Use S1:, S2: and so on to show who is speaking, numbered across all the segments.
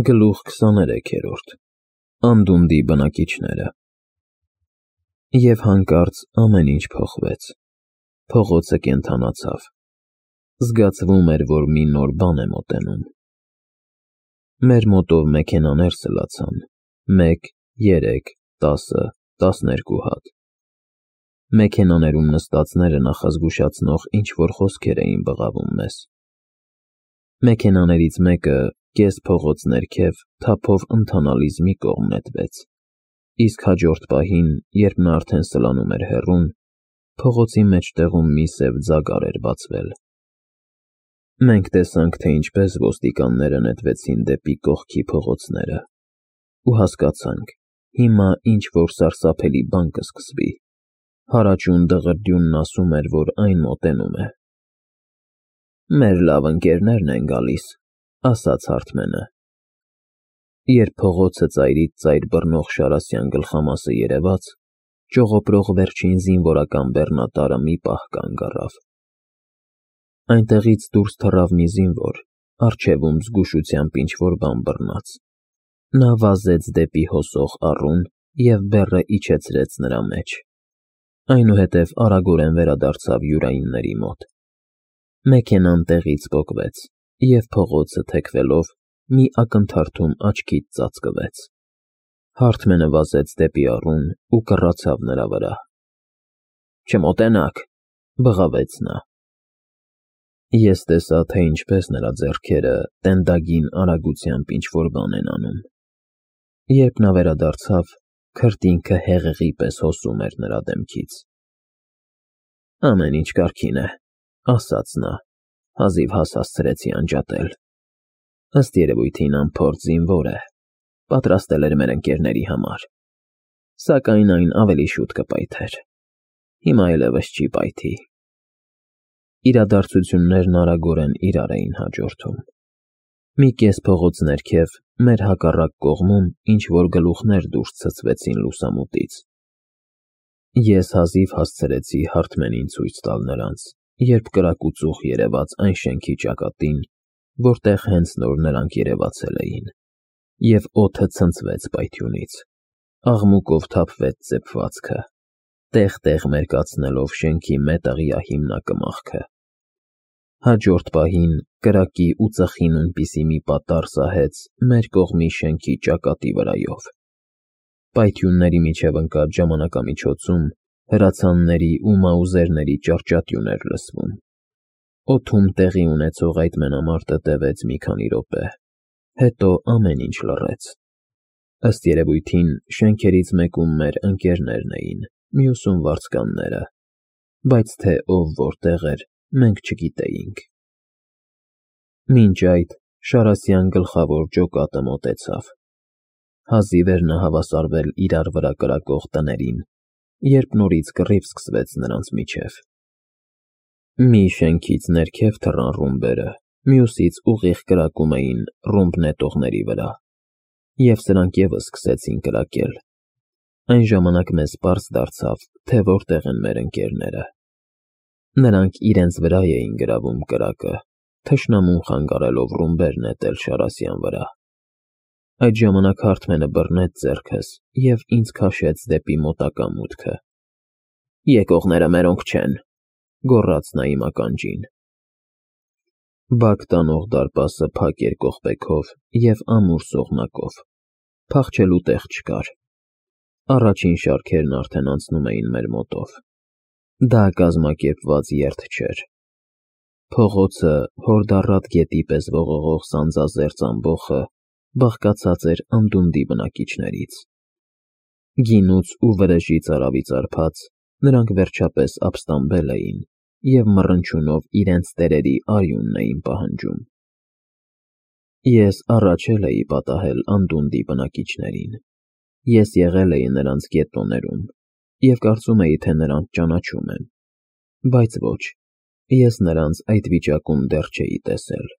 S1: Գլուխ 23-րդ Անդունդի բնակիչները Եվ հանկարծ ամեն ինչ փոխվեց, փողոցը կենդանացավ, զգացվում էր, որ մի նոր բան է մոտենում, մեր մոտով մեքենաներ սլացան, 1, 3, 10, 12 հատ, մեքենաներում նստածները նախազգուշացնող ինչ-որ խոսքեր էին բղավում մեզ, մեքենաներից մեկը կես փողոց ներքև թափով ընթանալիս մի կողմ նետվեց, իսկ հաջորդ պահին, երբ նա արդեն սլանում էր հեռուն, փողոցի մեջտեղում մի սև ձագար էր բացվել։ Մենք տեսանք, թե ինչպես ոստիկանները նետվեցին դեպի կողքի փողոցները ու հասկացանք, հիմա ինչ-որ սարսափելի բան կսկսվի, հարաճուն դղրդյունն ասում էր, որ այն մոտենում է։ Մեր լավ ընկերներն են գալիս, ասաց Հարթմենը։ Երբ փողոցը ծայրից ծայր բռնող Շարասյան գլխամասը երևաց, ճողոպրող վերջին զինվորական բեռնատարը մի պահ կանգ առավ։ Այնտեղից դուրս թռավ մի զինվոր, առջևում զգուշությամբ ինչ-որ բան բռնած։ Նա վազեց դեպի հոսող առուն և բեռը իջեցրեց նրա մեջ։ Այնուհետև արագորեն վերադարձավ յուրայինների մոտ։ Մեքենան տեղից պոկվեց, և փողոցը թեքվելով մի ակնթարթում աչքից ծածկվեց։ Հարթմենը վազեց դեպի առուն ու կռացավ նրա վրա։ Չմոտենաք, բղավեց նա։ Ես տեսա, թե ինչպես նրա ձեռքերը տենդագին արագությամբ ինչ-որ բան են անում։ Երբ նա վերադարձավ, քրտինքը հեղեղի պես հոսում էր նրա դեմքից։ Ամեն ինչ կարգին է, ասաց նա, հազիվ հասցրեցի անջատել։ Ըստ երևույթին անփորձ զինվոր է, պատրաստել էր մեր ընկերների համար, սակայն այն ավելի շուտ կպայթեր, հիմա այլևս չի պայթի։ Իրադարձություններն արագորեն իրար էին հաջորդում։ Մի կես փողոց ներքև, մեր հակառակ կողմում ինչ-որ գլուխներ դուրս ցցվեցին լուսամուտից։ Ես հազիվ հասցրեցի Հարթմենին ցույց տալ նրանց, երբ կրակուծուխ երևաց այն շենքի ճակատին, որտեղ հենց նոր նրանք երևացել էին, և օդը ցնցվեց պայթյունից, աղմուկով թափվեց ծեփվածքը, տեղ-տեղ մերկացնելով շենքի մետաղյա հիմնակմախքը։ Հաջորդ պահին կրակի ու ծխի նույնպիսի մի պատառ սահեց մեր կողմի շենքի ճակատի վրայով։ Պայթյունների միջև ընկած ժամանակամիջոցում հրացանների ու մաուզերների ճառճատյուն էր լսվում։ Օդում տեղի ունեցող այդ մենամարտը տևեց մի քանի րոպե, հետո ամեն ինչ լռեց։ Ըստ երևույթին շենքերից մեկում մեր ընկերներն էին, մյուսում վարձկանները, բայց թե ով որտեղ էր, մենք չգիտեինք։ Մինչ այդ Շարասյան գլխավոր ջոկատը մոտեցավ։ Հազիվ էր նա հավասարվել իրար վրա կրակող տներին, երբ նորից կռիվ սկսվեց նրանց միջև։ Մի շենքից ներքև թռան ռումբերը, մյուսից ուղիղ կրակում էին ռումբ նետողների վրա, և սրանք ևս սկսեցին կրակել։ Այն ժամանակ մեզ պարզ դարձավ, թե որտեղ են մեր ընկերները։ Նրանք իրենց վրա էին գրավում կրակը, թշնամուն խանգարելով ռումբեր նետել Շարասյան վրա։ Այդ ժամանակ Հարթմենը բռնեց ձեռքս և ինձ քաշեց դեպի մոտակա մուտքը։ Եկողները մերոնք չեն, գոռաց նա իմ ականջին։ Բակ տանող դարպասը փակ էր կողպեքով և ամուր սողնակով, փախչելու տեղ չկար։ Առաջին շարքերն արդեն անցնում էին մեր մոտով։ Դա կազմակերպված երթ չէր։ Փողոցը, հորդառատ գետի պես ողողող սանձազերծ ամբոխը բաղկացած էր անդունդի բնակիչներից։ Գինուց ու վրեժից արավի ծարփած, նրանք վերջապես ապստամբել էին և մռնչյունով իրենց տերերի արյունն էին պահանջում։ Ես առաջ էի պատահել անդունդի բնակիչներին։ Ես եղել էի նրանց գետոներում և կարծում էի, թե նրանց ճանաչում եմ, բայց ոչ, ես նրանց այդ վիճակում դեռ չէի տեսել։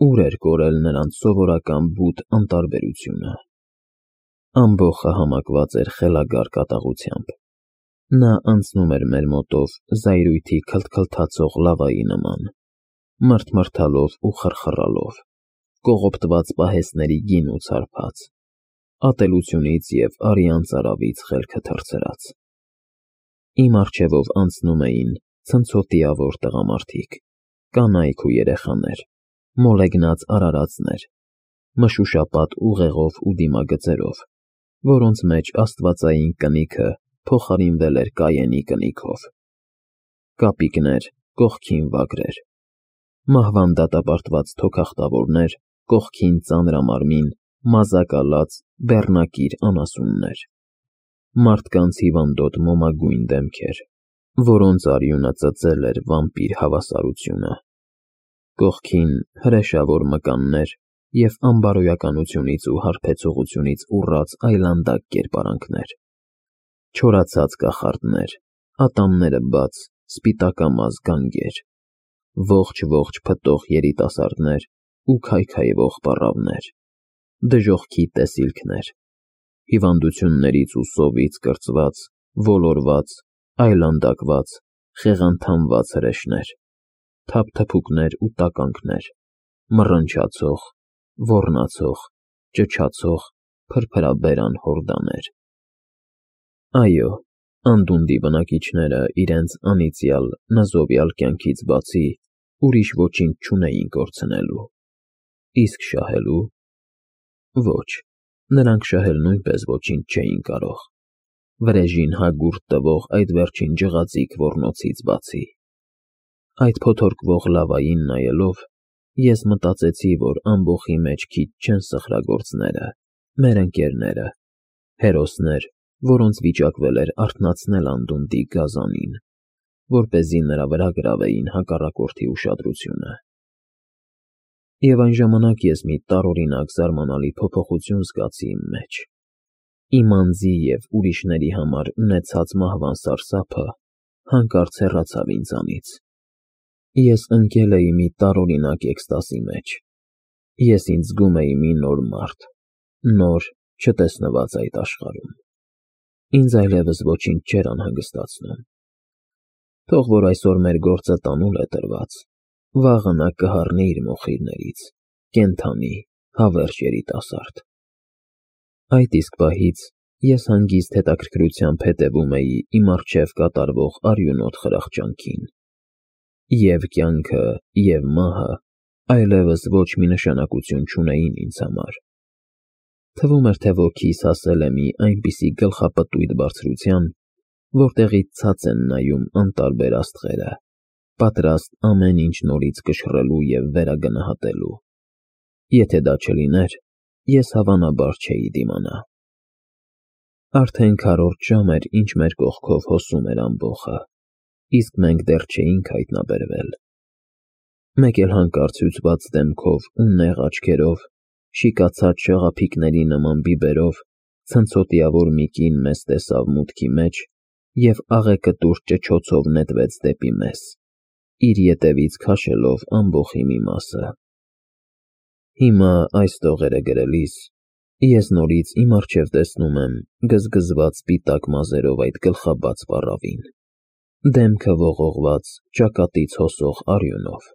S1: Ուր էր կորել նրանց սովորական բութ անտարբերությունը։ Ամբոխը համակված էր խելագար կատաղությամբ։ Նա անցնում էր մեր մոտով զայրույթի քլթքլթացող լավայի նման, մռթմռթալով ու խռխռալով, կողոպտված պահեստների գին ու ցարփած, ատելությունից և արյան ծարավից խելքը թռցրած։ Իմ առջևով անցնում էին ցնցոտիավոր տղամարդիկ, կանայք ու երեխաներ, մոլեգնած արարածներ, մշուշապատ ուղեղով ու դիմագծերով, որոնց մեջ աստվածային կնիքը փոխարինվել էր Կայենի կնիքով, կապիկներ, կողքին վագրեր, մահվան դատապարտված թոքախտավորներ, կողքին ծանրամարմին, մազակալած, բեռնակիր անասուններ, մարդկանց հիվանդոտ մոմագույն դեմքեր, որոնց արյունը ծծել էր վամպիր հավասարությունը, կողքին հրեշավոր մկաններ և անբարոյականությունից ու հարբեցողությունից ուռած այլանդակ կերպարանքներ, չորացած կախարդներ, ատամները բաց, սպիտակամազ գանգեր, ողջ փտող երիտասարդներ ու քայքայվող պառավներ, դժոխքի տեսիլքներ, հիվանդություններից ու սովից կրծված, ոլորված, այլանդակված, խեղանթամված հրեշներ, թափթփուկներ ու տականքներ, մռնչացող, ոռնացող, ճչացող, փրփրաբերան հորդաներ։ Այո, անդունդի բնակիչները իրենց անիծյալ, նզովյալ կյանքից բացի ուրիշ ոչինչ չունեին կորցնելու, իսկ շահելու։ Ոչ, նրանք շահել նույնպես ոչինչ չէին կարող, վրեժին հագուրդ տվող այդ վերջին ջղածիկ ոռնոցից բացի։ Այդ փոթորկվող լավային նայելով, ես մտածեցի, որ ամբոխի մեջ քիչ չեն սխրագործները, մեր ընկերները, հերոսներ, որոնց վիճակվել էր արթնացնել անդունդի գազանին, որպեսզի նրա վրա գրավեին հակառակորդի ուշադրությունը։ Եվ այն ժամանակ ես մի տարօրինակ զարմանալի փոփոխություն զգացի իմ մեջ։ Իմ անձի և ուրիշների համար ունեցած մահվան սարսափը հանկարծ հեռացավ ինձանից։ Ես ընկել էի մի տարօրինակ էկստազի մեջ։ Ես ինձ զգում էի մի նոր մարդ, նոր, չտեսնված այդ աշխարհում։ Ինձ այլևս ոչինչ չէր անհանգստացնում։ Թող որ այսօր մեր գործը տանուլ է տրված, վաղը նա կհառնի իր մոխիրներից, կենդանի, հավերժ երիտասարդ։ Այդ իսկ պահից ես հանգիստ հետաքրքրությամբ հետևում էի իմ առջև կատարվող արյունոտ խրախճանքին։ Եվ կյանքը, և մահը այլևս ոչ մի նշանակություն չունեին ինձ համար։ Թվում էր, թե ոգիս հասել է մի այնպիսի գլխապտույտ բարձրության, որտեղից ցած են նայում անտարբեր աստղերը, պատրաստ ամեն ինչ նորից կշռելու և վերագնահատելու։ Եթե դա չլիներ, ես հավանաբար չէի դիմանա։ Արդեն քառորդ ժամ էր, ինչ մեր կողքով հոսում էր ամբոխը, իսկ մենք դեռ չէինք հայտնաբերվել։ Մեկ էլ հանկարծ հյուծված դեմքով ու նեղ աչքերով, շիկացած շաղափիկների նման բիբերով ցնցոտիավոր մի կին մեզ տեսավ մուտքի մեջ և աղեկտուր ճչոցով նետվեց դեպի մեզ, իր ետևից քաշելով ամբոխի մի մասը։ Հիմա այս տողերը գրելիս ես նորից իմ առջև տեսնում եմ գզգզված սպիտակ մազերով այդ գլխաբաց պառավին, դեմքը ողողված, ճակատից հոսող արյունով,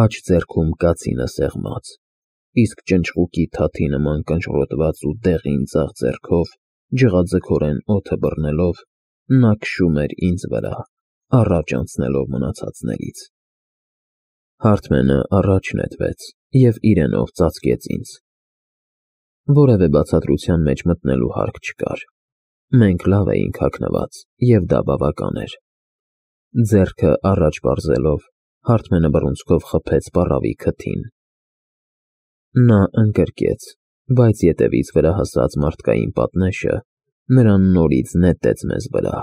S1: աջ ձեռքում կացինը սեղմած, իսկ ճնճղուկի թաթի նման կնճռոտված ու դեղին ձախ ձեռքով, ջղաձգորեն օդը բռնելով, նա քշում էր ինձ վրա, առաջ անցնելով մնացածներից։ Հարթմենը առաջ նետվեց և իրենով ծածկեց ինձ։ Որևէ բացատրության մեջ մտնելու հարկ չկար։ Մենք լավ էինք հագնված, և դա բավական էր։ Ձեռքը առաջ պարզելով, Հարթմենը բռունցքով խփեց պառավի քթին։ Նա ընկրկեց, բայց ետևից վրա հասած մարդկային պատնեշը նրան նորից նետեց մեզ վրա,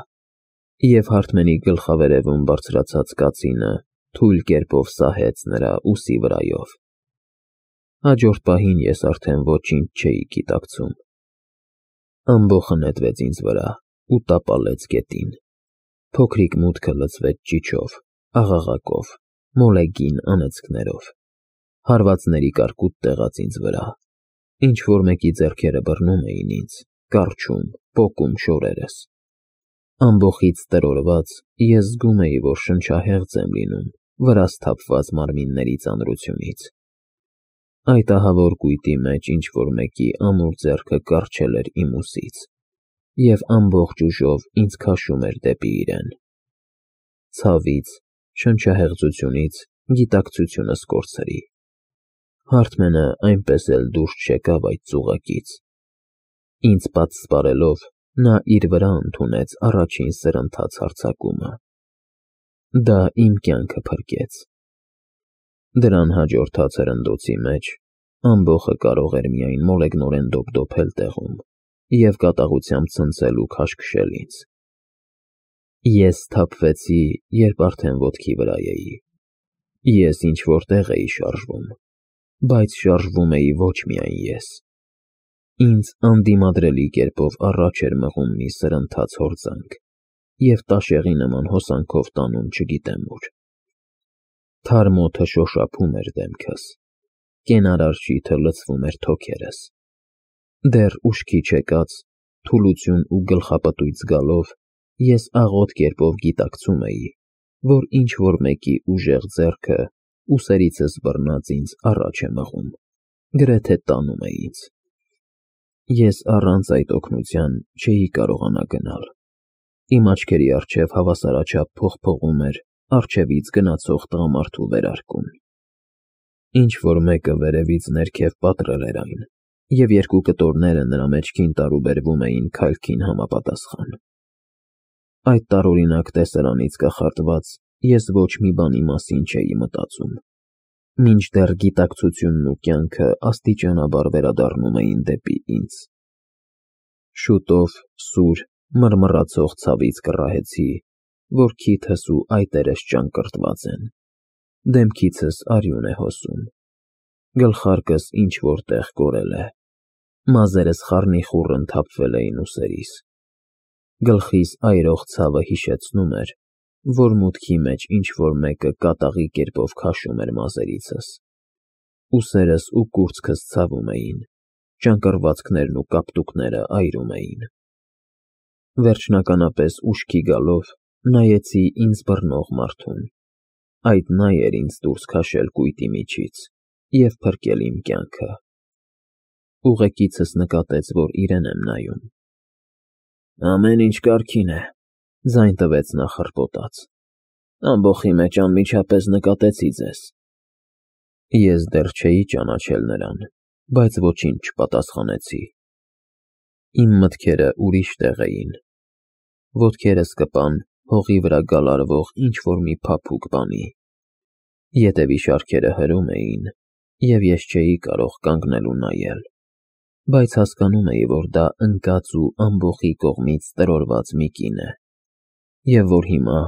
S1: և Հարթմենի գլխավերևում բարձրացած կացինը թույլ կերպով սահեց նրա ուսի վրայով։ Հաջորդ պահին ես արդեն ոչինչ չէի գիտակցում։ Ամբոխը նետվեց ինձ վրա ու տապալեց գետին։ Փոքրիկ մուտքը լցվեց ճիչով, աղաղակով, մոլեգին անեծքներով։ Հարվածների կարկուտ տեղաց ինձ վրա, ինչ-որ մեկի ձեռքերը բռնում էին ինձ, կառչում, պոկում շորերս։ Ամբոխից տրորված, ես զգում էի, որ շնչահեղձ եմ լինում վրաս թափված մարմինների ծանրությունից։ Այդ ահավոր կույտի մեջ ինչ-որ մեկի ամուր ձեռքը կառչել էր իմ ուսից և ամբողջ ուժով ինձ քաշում էր դեպի իրեն։ Ցավից, շնչահեղձությունից գիտակցությունս կորցրի։ Հարթմենը այնպես էլ դուրս չեկավ այդ ծուղակից։ Ինձ պատսպարելով, նա իր վրա ընդունեց առաջին սրընթաց հարձակումը։ Դա իմ կյանքը փրկեց։ Դրան հաջորդած հրնդոցի մեջ ամբոխը կարող էր միայն մոլեգնորեն դոփդոփել տեղում և կատաղությամբ ցնցել ու քաշքշել ինձ։ Ես սթափվեցի, երբ արդեն ոտքի վրա էի։ Ես ինչ-որ տեղ էի շարժվում, բայց շարժվում էի ոչ միայն ես։ Ինձ անդիմադրելի կերպով առաջ էր մղում մի սրընթաց հորձանք և տաշեղի նման հոսանքով տանում չգիտեմ ուր։ Թարմ օդը շոշափում էր դեմքս, կենարար շիթը լցվում էր թոքերս։ Դեռ ուշքի չեկած, թուլություն ու գլխապտույտ զգալով, ես աղոտ կերպով գիտակցում էի, որ ինչ-որ մեկի ուժեղ ձեռքը ուսերիցս բռնած ինձ առաջ է մղում, գրեթե տանում է ինձ։ Ես առանց այդ օգնության չէի կարողանա գնալ։ Իմ աչքերի առջև հավասարաչափ փողփողում էր առջևից գնացող տղամարդու վերարկուն։ Ինչ-որ մեկը վերևից ներքև պատռել էր այն, և երկու կտորները նրա մեջքին տարուբերվում էին քայլքին համապատասխան։ Այդ տարօրինակ տեսարանից կախարդված ես ոչ մի բանի մասին չէի մտածում, մինչդեռ գիտակցությունն ու կյանքը աստիճանաբար վերադառնում էին դեպի ինձ։ Շուտով սուր, մռմռացող ցավից կռահեցի, որ քիթս ու այտերս ճանկռտված են, դեմքիցս արյուն է հոսում, գլխարկս ինչ-որ տեղ կորել է, մազերս խառնիխուռն թափվել էին ուսերիս։ Գլխիս այրող ցավը հիշեցնում էր, որ մուտքի մեջ ինչ-որ մեկը կատաղի կերպով քաշում էր մազերիցս։ Ուսերս ու կուրծքս ցավում էին, ճանկռվածքներն ու կապտուկները այրում էին։ Վերջնականապես ուշքի գալով, նայեցի ինձ բռնող մարդուն։ Այդ նա էր ինձ դուրս քաշել կույտի միջից և փրկել իմ կյանքը։ Ուղեկիցս նկատեց, որ իրեն եմ նայում։ «Ամեն ինչ կարգին է», ձայն տվեց նա խռպոտած։ «Ամբոխի մեջ անմիջապես նկատեցի ձեզ»։ Ես դեռ չէի ճանաչել նրան, բայց ոչինչ չպատասխանեցի։ Իմ մտքերը ուրիշ տեղ էին։ Ոտքերս կպան հողի վրա գալարվող ինչ-որ մի փափուկ բանի։ Ետևի շարքերը հրում էին, և ես չէի կարող կանգնել ու նայել, բայց հասկանում էի, որ դա ընկած ու ամբոխի կողմից տրորված մի կին է, և որ հիմա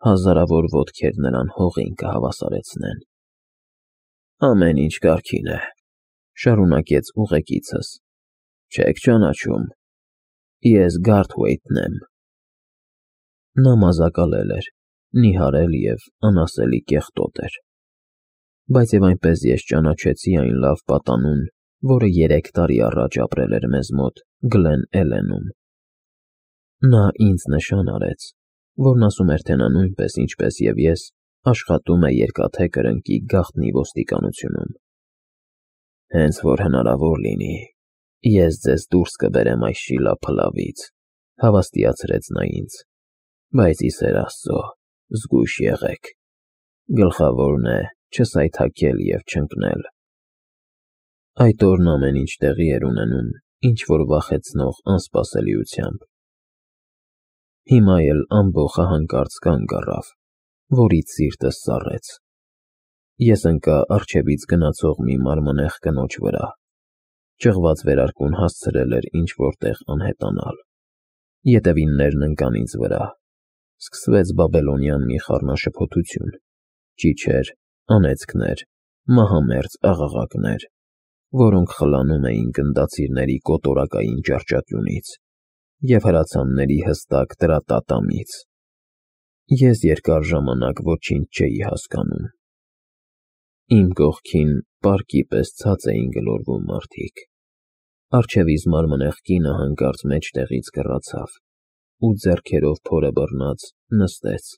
S1: հազարավոր ոտքեր նրան հողին կհավասարեցնեն։ «Ամեն ինչ կարգին է», շարունակեց ուղեկիցս։ «Չեք ճանաչում։ Ես Գարթհոյթն եմ»։ Նա մազակալել էր, նիհարել և անասելի կեղտոտ էր։ Բայց և այնպես ես ճանաչեցի այն լավ պատանուն, որը 3 տարի առաջ ապրել էր մեզ մոտ Գլեն Էլենում։ Նա ինձ նշան արեց, որն ասում էր, թե նա նույնպես, ինչպես և ես, աշխատում է Երկաթե Կրնկի գաղտնի ոստիկանությունում։ «Հենց որ հնարավոր լինի, ես ձեզ դուրս կբերեմ այս շիլափլավից», հավաստիացրեց նա ինձ, «բայց ի սեր Աստծո, զգույշ եղեք, գլխավորն է չսայթաքել և չընկնել»։ Այդ օրն ամեն ինչ տեղի էր ունենում ինչ-որ վախեցնող անսպասելիությամբ։ Հիմա էլ ամբոխը հանկարծ կանգ առավ, որից սիրտս ծառեց։ Ես ընկա առջևից գնացող մի մարմնեղ կնոջ վրա։ Ճղված վերարկուն հասցրել էր ինչ-որ տեղ անհետանալ։ Ետևիններն ընկան ինձ վրա։ Սկսվեց բաբելոնյան մի խառնաշփոթություն, ճիչեր, անեծքներ, մահամերձ աղաղակներ, որոնք խլանում էին գնդացիրների կոտորակային ճառճատյունից և հրացանների հստակ տրատատամից։ Ես երկար ժամանակ ոչինչ չէի հասկանում։ Իմ կողքին պարկի պես ցած էին գլորվում մարդիկ։ Առջևից մարմնեղ կինը հանկարծ մեջտեղից կռացավ ու ձեռքերով փորը բռնած նստեց։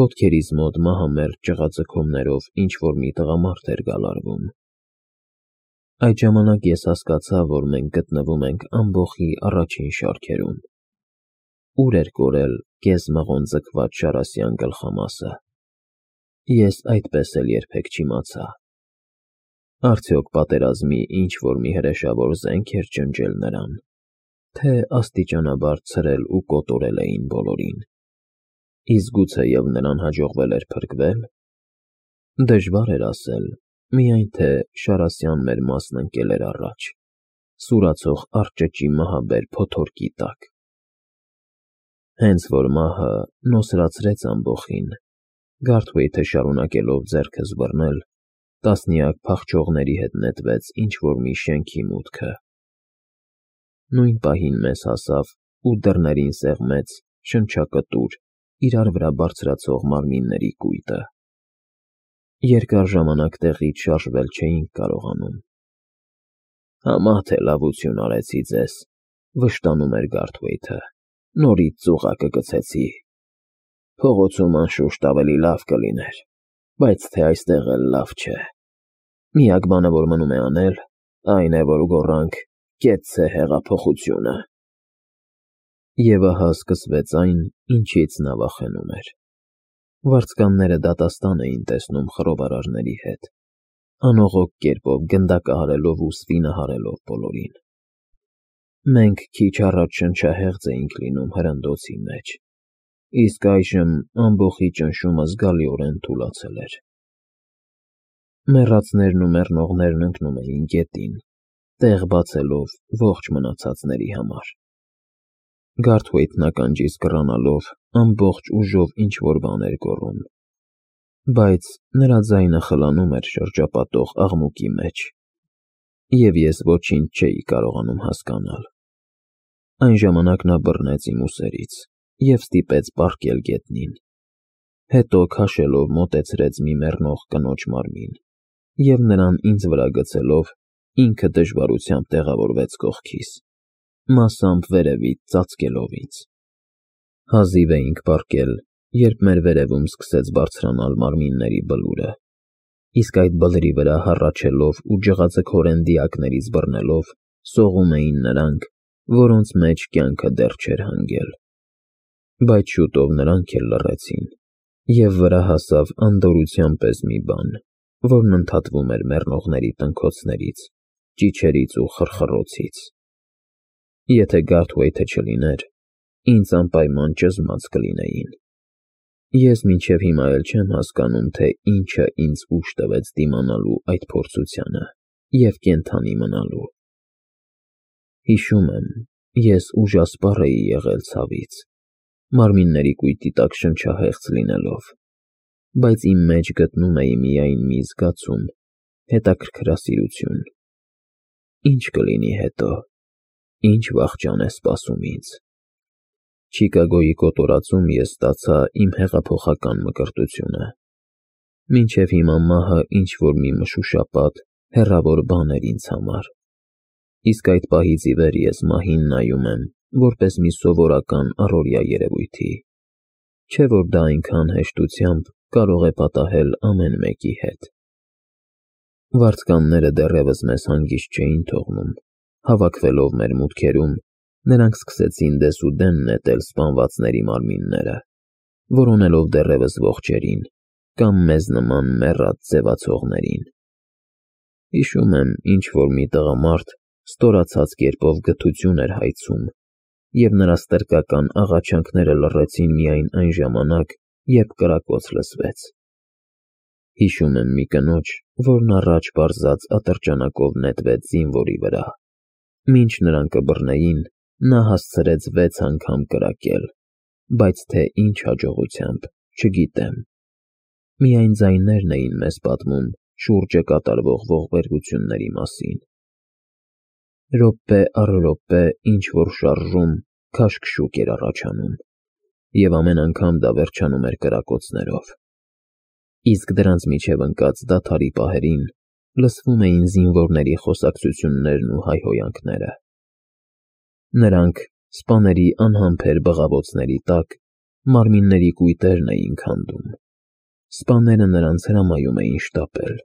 S1: Ոտքերիս մոտ մահամերձ ճղաձգումներով ինչ-որ մի տղամարդ էր գալարվում։ Այդ ժամանակ ես հասկացա, որ մենք գտնվում ենք ամբոխի առաջին շարքերում։ Ուր էր կորել կես-մղոն ձգված Շարասյան գլխամասը։ Ես այդպես էլ երբեք չիմացա։ Արդյոք պատերազմի ինչ-որ մի հրեշավոր զենք էր ջնջել նրան, թե աստիճանաբար ցրել ու կոտորել էին բոլորին։ Իսկ գուցեև նրան հաջողվել էր փրկվել։ Դժվար էր ասել, միայն թե Շարասյան մեր մասն ընկել էր առաջ, սուրացող արճճի մահաբեր փոթորկի տակ։ Հենց որ մահը նոսրացրեց ամբոխին, Գարթվեյթը շարունակելով ձեռքս բռնել, տասնյակ փախչողների հետ նետվեց ինչ-որ մի շենքի մուտքը։ Նույն պահին մեզ հասավ ու դռներին սեղմեց շնչակտուր, իրար վրա բարձրացող մարմինների կույտը։ Երկար ժամանակ տեղից շարժվել չէինք կարողանում։ Համա թե լավություն արեցի ձեզ, վշտանում էր Գարթվեյթը, նորից ծուղակը գցեցի։ Փողոցում անշուշտ ավելի լավ կլիներ, բայց թե այստեղ էլ լավ չէ։ Միակ բանը, որ մնում է անել, այն է, որ գոռանք «Կեցցե հեղափոխությունը»։ Եվ ահա սկսվեց այն, ինչից նա վախենում էր։ Վարձկանները դատաստան էին տեսնում խռովարարների հետ, անողոք կերպով գնդակահարելով ու սվինահարելով բոլորին։ Մենք քիչ առաջ շնչահեղձ էինք լինում հրնդոցի մեջ, իսկ այժմ ամբոխի ճնշումը զգալիորեն թուլացել էր։ Մեռածներն ու մեռնողներն ընկնում էին գետին, տեղ բացելով ողջ մնացածների համար։ Գարթվեյթն ականջիս կռանալով ամբողջ ուժով ինչ-որ բան էր գոռում, բայց նրա ձայնը խլանում էր շրջապատող աղմուկի մեջ, և ես ոչինչ չէի կարողանում հասկանալ։ Այն ժամանակ նա բռնեց իմ ուսերից և ստիպեց պառկել գետնին, հետո քաշելով մոտեցրեց մի մեռնող կնոջ մարմին և նրան ինձ վրա գցելով ինքը դժվարությամբ տեղավորվեց կողքիս, մասամբ վերևից ծածկելով ինձ։ Հազիվ էինք պառկել, երբ մեր վերևում սկսեց բարձրանալ մարմինների բլուրը, իսկ այդ բլրի վրա հառաչելով ու ջղաձգորեն դիակներից բռնելով սողում էին նրանք, որոնց մեջ կյանքը դեռ չէր հանգել։ Բայց շուտով նրանք էլ լռեցին, և վրա հասավ անդորրության պես մի բան, որն ընդհատվում էր մեռնողների տնքոցներից, ճիչերից ու խռխռոցից։ Եթե Գարթվեյթը չլիներ, ինձ անպայման ճզմած կլինեին։ Ես մինչև հիմա էլ չեմ հասկանում, թե ինչը ինձ ուժ տվեց դիմանալու այդ փորձությանը և կենդանի մնալու։ Հիշում եմ, ես ուժասպառ էի եղել ցավից, մարմինների կույտի տակ շնչահեղձ լինելով, բայց իմ մեջ գտնում էի միայն մի զգացում, հետաքրքրասիրություն։ Ինչ կլինի հետո, ինչ վախճան է սպասում ինձ։ Չիկագոյի կոտորածում ես ստացա իմ հեղափոխական մկրտությունը։ Մինչև հիմա մահը ինչ-որ մի մշուշապատ, հեռավոր բան էր ինձ համար, իսկ այդ պահից ի վեր ես մահին նայում եմ որպես մի սովորական առօրյա երևույթի, չէ՞ որ դա այնքան հեշտությամբ կարող է պատահել ամեն մեկի հետ։ Վարձկանները դեռևս մեզ հանգիստ չէին թողնում, հավաքվելով մեր մուտքերում, նրանք սկսեցին դեսուդեն նետել սպանվածների մարմինները, որոնելով դեռևս ողջերին կամ մեզ նման մեռած ձևացողներին։ Հիշում եմ, ինչ-որ մի տղամարդ ստորացած կերպով գթություն էր հայցում, և նրա ստրկական աղաչանքները լռեցին միայն այն ժամանակ, երբ կրակոց լսվեց։ Հիշում եմ մի կնոջ, որն առաջ պարզած ատրճանակով նետվեց զինվորի վրա։ Մինչ նրան կբռնեին, նա հասցրեց 6 անգամ կրակել, բայց թե ինչ հաջողությամբ, չգիտեմ։ Միայն ձայներն էին մեզ պատմում շուրջը կատարվող ողբերգությունների մասին։ Րոպե առ րոպե ինչ-որ շարժում, քաշքշուկ էր առաջանում, և ամեն անգամ դա վերջանում էր կրակոցներով։ Իսկ դրանց միջև ընկած դադարի պահերին լսվում էին զինվորների խոսակցություններն ու հայհոյանքները։ Նրանք, սպաների անհամբեր բղավոցների տակ, մարմինների կույտերն էին քանդում։ Սպաները նրանց հրամայում էին շտապել։